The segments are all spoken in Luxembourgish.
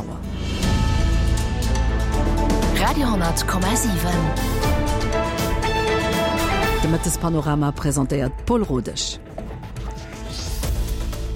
Auer. Radio,7. De Mëttespanorama presentéiert d'Paul Rodesch.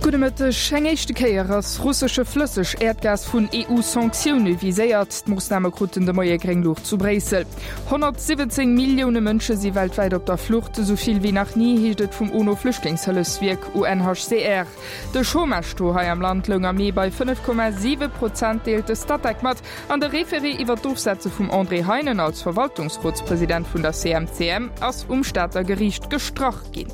Gudde Mëtteg. Eng éischte Kéier ass russesche Flësseg-Äerdgas vun EU-Sanktioune viséiert. D'Moossname kruten de Moie gréng Luucht zu Bréissel. 117 Millioune Mënsche si weltwäit op der Flucht, esou vill wéi nach ni, heescht et vum UNO-Flüchtlingshëllefswierk UNHCR. De Chômage-Taux hei am Land loung am Mee bei 5,7 Prozent, deelt de Statec mat. An de Référé iwwer d'Ofsetze vum André Heinen als Verwaltungsrotspresident vun der CMCM ass um Stater Geriicht gestrach ginn.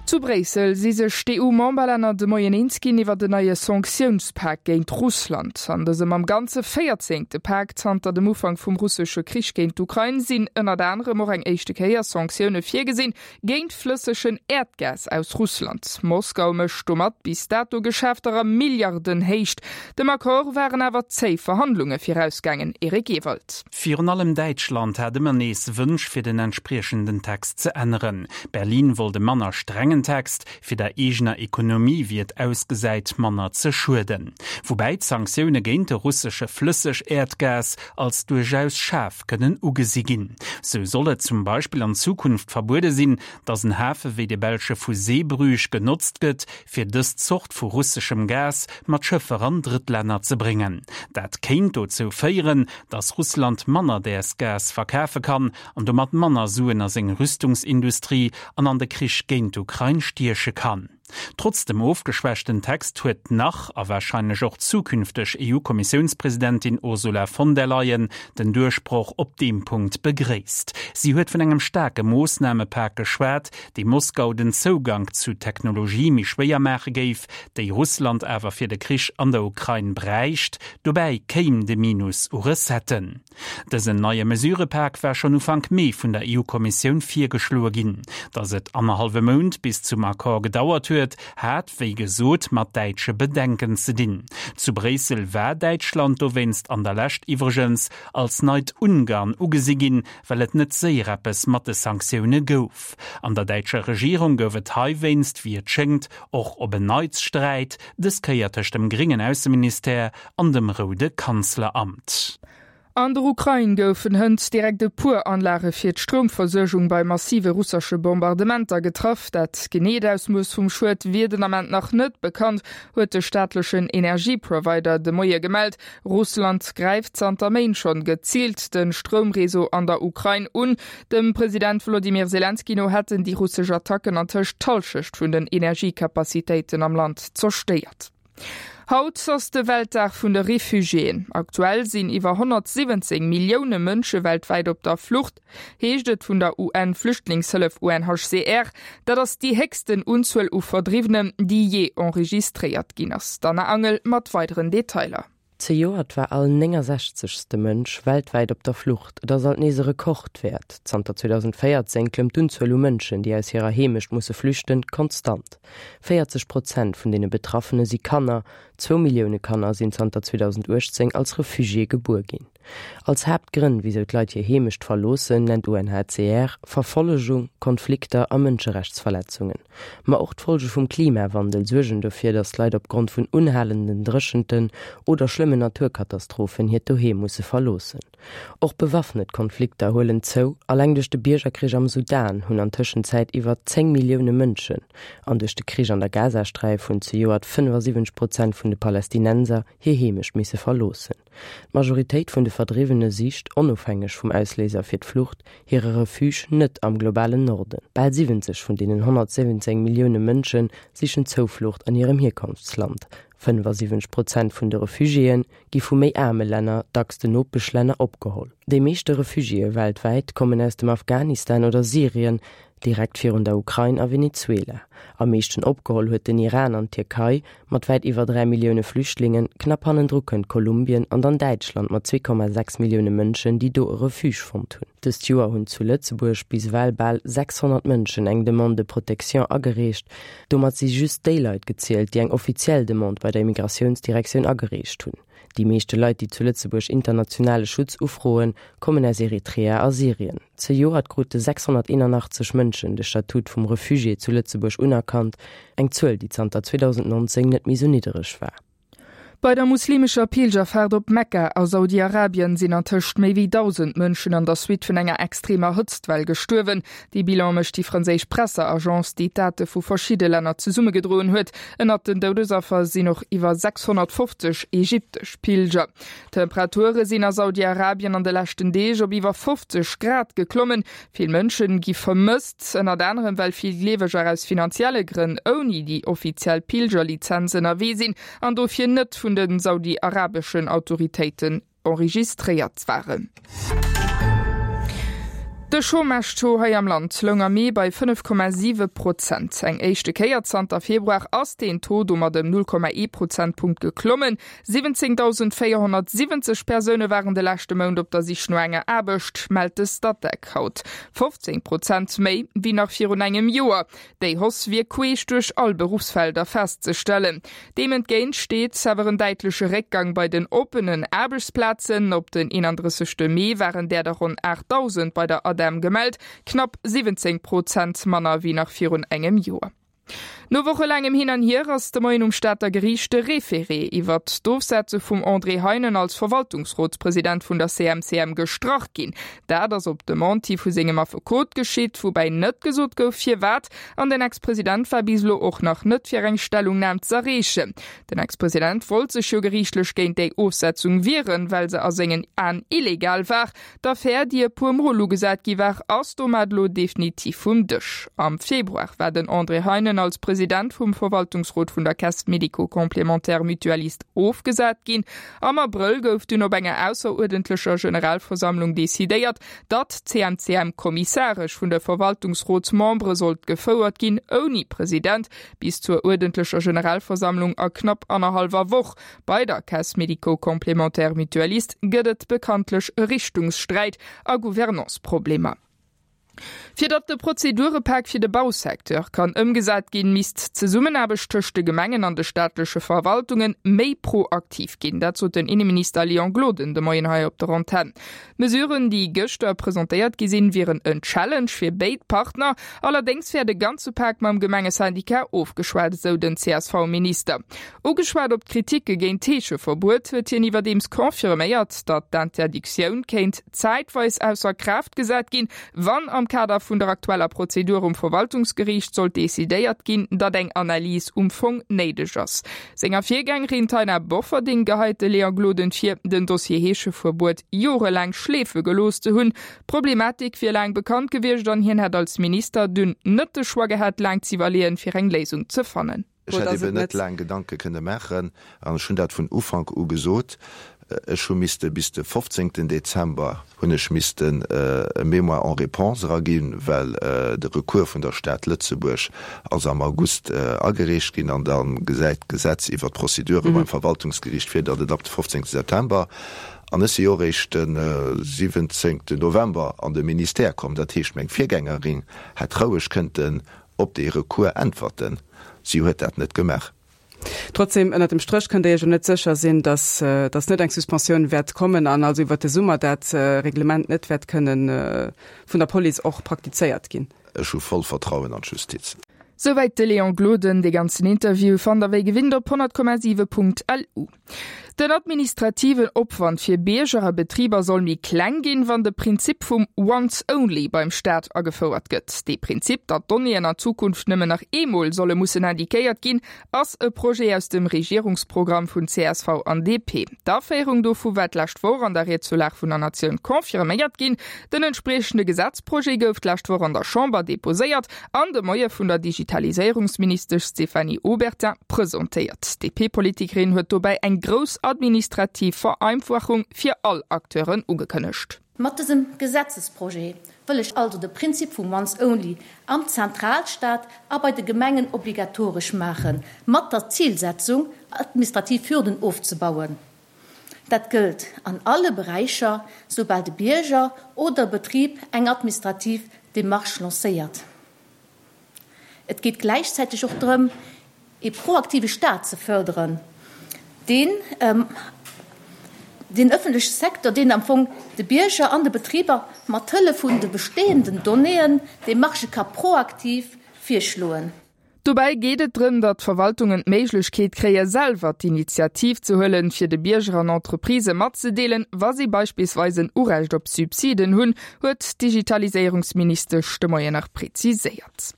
Zu Bréissel si sech d'EU-Memberlänner de Moien eens ginn iwwer en neie Sanktiounspak géint Russland. An dësem am Ganze véierzéngte Pak zanter dem Ufank vum russesche Krich géint d'Ukrain sinn ënnert anerem och eng éischte Kéier Sanktioune virgesinn Géint flëssegen Äerdgas aus Russland. Moskau mécht domat bis dato Geschäfter a Milliardenhéicht. Dem Accord waren awer zéi Verhandlunge virausgaangen, Eric Ewald. Virun allem Däitschland hat ëmmer nees Wënsch fir den entspriechenden Text ze änneren. Berlin wollt e manner strengen Text, fir der eegener Ekonomie, wéi et ausgesäit, manner ze schueden. Woubäi d'Sanktioune géint de russesche Flësseg-Äerdgas als duerchaus schaarf kënnen ugesi ginn. Sou soll et zum Beispill an Zukunft verbuede sinn, datt en Hafe wéi de belsche vu Zeebrugge genotzt gëtt, fir dës Zort vu russeschem Gas mat Schëffer an Drëttlänner ze bréngen. Dat kéint dozou féieren, datt Russland manner däers Gas verkafe kann an domat manner Suen a seng Rüstungsindustrie an an de Krich géint d'Ukrain stieche kann. Trotz dem ofgeschwächten Text huet d'nach a warscheinlech och zukünfteg EU-Kommissiounspresidentin Ursula von der Leyen den Duerchbroch op deem Punkt begréisst. Si huet vun engem staarke Moossnamepak geschwat, dee Moskau den Zougank zu Technologie méi schwéier maache géif, déi Russland awer fir de Krich an der Ukrain bräicht. Dobäi kéim de Minus u Recetten. Dësen neie Mesurëpak war schonn Ufank Mee vun der EU-Kommissioun virgeschloe ginn. Datt et annerhallwe Mount bis zum Accord gedauert huet, hat, wéi gesot, mat däitsche Bedenken ze dinn. Zu Bréissel war Däitschland dowéinst an der Lescht iwwregens als neit Ungarn ugesi ginn, well et net séier eppes mat de Sanktioune gouf. An der däitscher Regierung gouf et heiwéinst, wéi et schéngt, och op en Neits Sträit, dës Kéier tëscht dem gréngen Ausseministère an dem roude Kanzleramt. An der Ukrain goufen hënt direkt e puer Anlage fir d'Stroumversuergung bei massive russesche Bombardementer getraff. Dat geneet Ausmooss vum Schued wier den Ament nach net bekannt, huet de staatlechen Energieprovider de Moie gemellt. Russland gräift zanter Méint schonn geziilt de Stroumreseau an der Ukrain un. Dem President Wolodymyr Selenskyj no hätten déi russesch Attacken antëscht d'Hallschecht vun den Energiecapacitéiten am Land zerstéiert. Haut ass de Weltdag vun de Refugiéen. Aktuell sinn iwwer 117 Millioune Mënsche weltwäit op der Flucht, heescht et vun der UN-Flüchtlingshëllef UNHCR. Dat ass déi héchsten Unzuel u Verdriwwenen, déi jee enregistréiert ginn ass. D'Anna Angel mat weideren Detailer. Zejoert war all 69. Mënsch weltwäit op der Flucht. Et ass alt nees e Rekordwäert. Zanter 2014 klëmmt d'Unzuel u Mënschen, déi aus hirer Heemecht musse flüchten, konstant. 40 Prozent vun deene Betraffene si Kanner. Zwou Millioune Kanner sinn zanter 2018 als Refugié gebuer ginn. Als Haaptgrënn, wisou d'Leit hir Heemecht verloossen, nennt UNHCR Verfollegung, Konflikter a Mënscherechtsverletzungen. Ma och d'Folge vum Klimawandel suergen dofir, datt Leit opgrond vun unhalenden Dréchenten oder schlëmmen Naturkatastrophen hiert Doheem musse verloossen. Och bewaffnet Konflikter huelen zou, Alleng duerch de Biergerkrich am Sudan hunn an Tëschenzäit iwwer 10 Millioune Mënschen an duerch de Krich an der Gazasträif hunn zejoert 75 Prozent vun de Palästinenser hir Heemecht misse verloossen. D'Majoritéit vun de Verdriwwene sicht, onofhängeg vum Ausléiser fir d'Flucht, hire Refuge net am globalen Norden. Bal 70 vun deenen 117 Millioune Mënsche sichen Zouflucht an hirem Hierkonftsland. 75 Prozent vun de Refugiéë gi vu méi aarme Länner, dacks den Nopeschlänner, opgeholl. Déi meeschte Refugiéë weltwäit kommen aus dem Afghanistan oder Syrien, Direkt virun der Ukrain a Venezuela. Am meeschten opgeholl huet den Iran an d'Tierkei mat wäit iwwer 3 Millioune Flüchtlingen. Knapp hannendru kënnt Kolumbien an dann Däitschland mat 2,6 Millioune Mënschen, déi do e Refuge fonnt hunn. Dëst Joer hunn zu Lëtzebuerg bis ewell bal 600 Mënschen eng Demande de protection agereecht. Domat si just déi Leit gezielt, déi eng offiziell Demande bei der Immigratiounsdirektioun agereecht hunn. Déi meeschte Leit, déi zu Lëtzebuerg internationale Schutz ufroen, kommen aus Eritrea a Syrien. Zejoert krute 681 Mënschen de Statut vum Refugié zu Lëtzebuerg unerkannt, eng Zuel, déi zanter 2019 net méi sou niddereg war. Bei der muslimescher Pilgerfaart op Mekka a Saudi-Arabien sinn an tëscht méi wéi 1.000 Mënschen an der Suite vun enger extremer Hëtztwell gestuerwen. Dee Bilan mécht déi franséisch Presseagence, déi d'Date vu verschidde Länner zesummegedroen huet. Ënnert den Doudesaffer sinn och iwwer 650 ägyptesch Pilger. D'Temperature sinn a Saudi-Arabien an de leschten Deeg op iwwer 50 Grad geklommen. Vill Mënschen gi vermësst, ënnert anerem well vill Gleeweger aus finanzielle Grënn ouni déi offiziell Pilgerlizenz ënnerwee sinn an dofir net vun de saudi-arabeschen Autoritéiten enregistréiert waren. De Chômage-Taux hei am Land loung am Mee bei 5,7 Prozent. Eng éischte Kéier zanter Februar ass deen Taux domat ëm 0,1 Prozentpunkt geklommen. 17.470 Persoune waren de leschte Mount op der Sich no enger Aarbecht, mellt de Statec haut. 15 Prozent méi wéi nach virun engem Joer. Déi Hausse wier queesch duerch all Beruffsfelder festzestellen. Deem entgéint steet awer en däitleche Réckgang bei den oppenen Aarbechtsplazen. Op den 31 Mee waren där der ronn 8.000 bei der ADEM gemellt, knapp 17 Prozent manner wéi nach virun engem Joer. No wochelaangem Hin an Hier ass de Moien um Stater Geriicht de Référé iwwert d'Ofsetze vum André Heinen als Verwaltungsrotspresident vun der CMCM gestrach ginn. Dat ass op Demande hi vu sengem Affekot geschitt, woubäi net gesot gouf firwat. An den Ex-President war bis elo och nach net fir eng Stellungnam z'erreechen. Den Ex-President wollt sech jo geriichtlech géint déi Ofsetzung wieren, well se a sengen Aen illegal war. D'Affär, déi e puer Mol ugesat gi war, ass domat elo definitiv vum Dësch. Am Februar war den André Heinen als President vum Verwaltungsrot vun der Caisse médico-complémentaire mutualiste ofgesat ginn. Am Abrëll gouf dunn op enger ausseruerdentlecher Generalversammlung decidéiert, datt d'CMCM kommissaresch vun de Verwaltungsrotsmembere sollt gefouert ginn, ouni President, bis zur uerdentlecher Generalversammlung a knapp annerhallwer Woch. Bei der Caisse médico-complémentaire mutualiste gëtt et bekanntlech e Richtungssträit a Gouvernanceproblemer. Fir datt de Prozedurepak fir de Bausecteur kann ëmgesat ginn, misst d'Zesummenaarbecht tëscht de Gemengen an de staatleche Verwaltunge méi proaktiv ginn. Dat sot den Inneminister Léon Gloden de Moien hei op der Antenn. D'Mesuren, déi gëschter presentéiert gi sinn, wieren en Challenge fir béid Partner. Allerdéngs wär de ganze Pak mam Gemengesyndicat ofgeschwat, esou den CSV-Minister. Ugeschwat op d'Kritike géint d'Heescheverbuet, huet hien iwwerdeems confirméiert, datt d'Interdictioun kéint zäitweis ausser Kraaft gesat ginn, wann am Kader vun der aktueller Prozedur um Verwaltungsgeriicht sollt decidéiert ginn, datt eng Analys um Fong néideg ass. Senger Virgängerin Taina Bofferding geheit de Léon Gloden vir, den Dossier Heescheverbuet jorelaang schleefe gelooss ze hunn. D'Problematik wier laang bekannt gewiescht an hien hätt als Minister dunn net de Choix gehat, laang z'iwwerleeën, fir eng Léisung ze fannen. Ech hätt eben net laang Gedanke kënne maachen an ech hunn dat vun Ufank u gesot. Ech hu misste bis de 15 Dezember hunn ech missten e Mémoire en réponse eraginn, well de Recours vun der Stad Lëtzebuerg ass am August agereecht ginn an da gesäit d'Gesetz iwwert d'Procedure beim Verwaltungsgeriicht vir, datt et ab de 15 September, an ech si jo eréischt de 17 November an de Ministère komm, dat heescht meng Virgängerin hätt roueg kënnten op dee Recours äntwerten. Si huet dat net gemaach. Trotzdem, ënnert dem Stréch kënnt Der Iech jo net sécher sinn, datt datt net eng Suspensioun wäert kommen an also iwwert de Summer dat Reglement net wäert kënnen vun der Police och praktizéiert ginn. Ech hu voll Vertrauen an d'Justiz. Souwäit de Léon Gloden. Dee ganzen Interview fannt der wéi gewinnt op 100,7.lu. Den administrativen Opwand fir Bierger a Betriber soll méi kleng ginn, wann de Prinzip vum Once Only beim Staat agefouert gëtt. Dee Prinzip, datt Donnéeën an Zukunft nëmmen nach eemol solle mussen indiquéiert ginn, ass e Projet aus dem Regierungsprogramm vun csv an DP. D'Aféierung dovu war d'lescht Woch an der Ried zur Lag vun der Natioun confirméiert ginn. Den entspriechende Gesetzprojet gouf d'lescht Woch an der Chamber deposéiert an de Moie vun der Digitaliséierungsministesch Stéphanie Obertin presentéiert. D'DP-Politikerin huet dobäi eng grouss administrativ Vereinfachung fir all Acteuren ugekënnegt. Mat dësem Gesetzesprojet wëll ech also de Prinzip vum Once Only am Zentralstaat a bei de Gemengen obligatoresch maachen, mat der Zilsetzung, administrativ Hürden ofzebauen. Dat gëllt an alle Beräicher, soubal de Bierger oder e Betrib eng administrativ Demarche lancéiert. Et geet gläichzäiteg och drëm, ee proaktive Staat ze fërderen, deen den ëffentleche Secteur, deen am Fong de Bierger an de Betriber mat Hëllef vun de bestehenden Donnéeën Demarchë ka proaktiv virschloen. Dobäi geet et drëm, datt d'Verwaltungen d'Méiglechkeet kréie selwer d'Initiativ ze huelen, fir de Bierger an Entreprisë matzedeelen, wa si beispillsweis en Urecht op Subsiden hunn, huet d'Digitaliséierungsministesch de Moien nach preziséiert.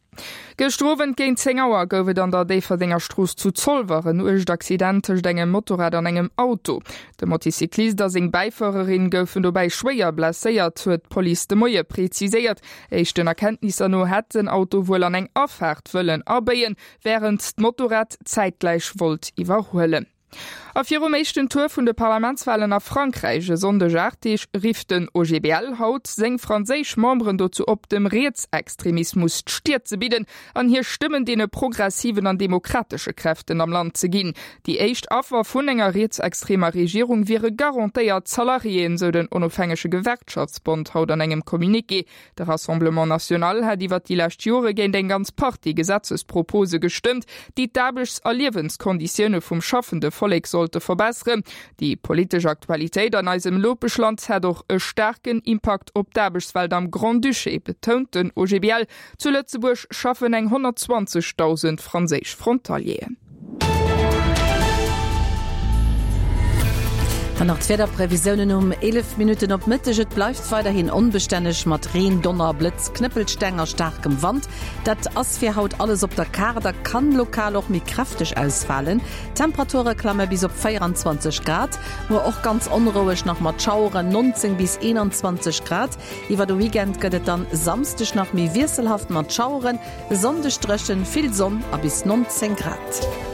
Gëschter Owend géint 10 Auer gouf et an der Déifferdenger Strooss zu Zolwer en uergt Accident tëscht engem Motorrad an engem Auto. De Moticyclist a seng Bäifuererin goufen dobäi schwéier blesséiert, huet d'Police de Moie preziséiert. Éischten Erkenntnisser no hätt den Auto wuel an eng Afaart wëllen abéien, wärend d'Motorrad zäitgläich wollt iwwerhuelen. A virum éischten Tour vun de Parlamentswalen a Frankräich e Sonndeg 8 Deeg rifft den OGBL haut seng franséisch Memberen dozou op, dem Rietsextremismus d'Stier ze bidden an hir Stëmmen deene progressiven an demokratesche Kräften am Land ze ginn. Déi éischt Affer vun enger rietsextremer Regierung wiere garantéiert d'Salariéen, sou den onofhängege Gewerkschaftsbond haut an engem Communiqué. De Rassemblement National hätt iwwer déi lescht Jore géint eng ganz Partie Gesetzespropose gestëmmt, déi d'Aarbechts a Liewenskonditioune vum schaffende Vollek sollte verbesseren. Déi politesch Aktualitéit an eisem Nopeschland hätt och e staarken Impakt op d'Aarbechtswelt am Grand-Duché, betount den OGBL. Zu Lëtzebuerg schaffen eng 120.000 franséisch Frontalieren. Dann nach d'Wiederprevisiounen um 11 Minutten op Mëtteg. Et bleift weiderhin onbestänneg mat Reen, Donner, Blëtz, Knëppelsteng a staarkem Wand. Dat ass fir haut alles op der Kaart a kann lokal och méi kräfteg ausfalen. D'Temperature klamme bis op 24 Grad. Muer och ganz onroueg nach mat Schaueren, 19 bis 21 Grad. Iwwer de Weekend gëtt et dann Samsdeg nach méi wiesselhaft mat Schaueren. E Sonndeg dréchen, vill Sonn a bis 19 Grad.